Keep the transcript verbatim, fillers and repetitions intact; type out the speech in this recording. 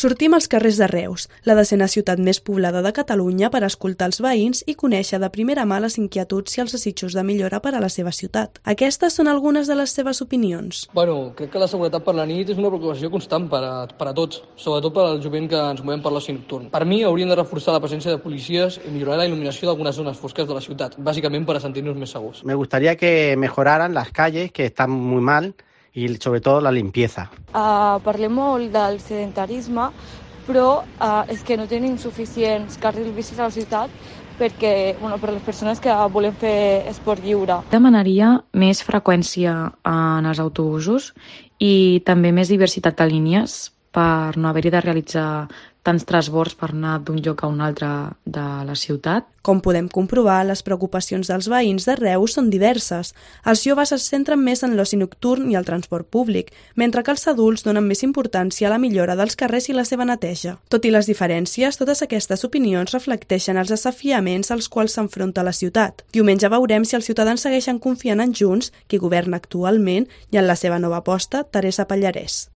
Sortim als carrers de Reus, la desena ciutat més poblada de Catalunya, per escoltar els veïns i conèixer de primera mà les inquietuds i els desitjos de millora per a la seva ciutat. Aquestes són algunes de les seves opinions. Bueno, crec que la seguretat per la nit és una preocupació constant per a, per a tots, sobretot per al jovent que ens movem per l'oci nocturn. Per mi haurien de reforçar la presència de policies i millorar la il·luminació d'algunes zones fosques de la ciutat, bàsicament per a sentir-nos més segurs. Me gustaría que mejoraran las calles, que están muy mal, i sobre tot la limpieza. Uh, parlem molt del sedentarisme, però uh, és que no tenim suficients carrils bicis a la ciutat perquè, bueno, per les persones que volen fer esport lliure. Demanaria més freqüència en els autobusos i també més diversitat de línies per no haver-hi de realitzar tants transbords per anar d'un lloc a un altre de la ciutat. Com podem comprovar, les preocupacions dels veïns de Reus són diverses. Els joves es centren més en l'oci nocturn i el transport públic, mentre que els adults donen més importància a la millora dels carrers i la seva neteja. Tot i les diferències, totes aquestes opinions reflecteixen els desafiaments als quals s'enfronta la ciutat. Diumenge veurem si els ciutadans segueixen confiant en Junts, qui governa actualment, i en la seva nova aposta, Teresa Pallarès.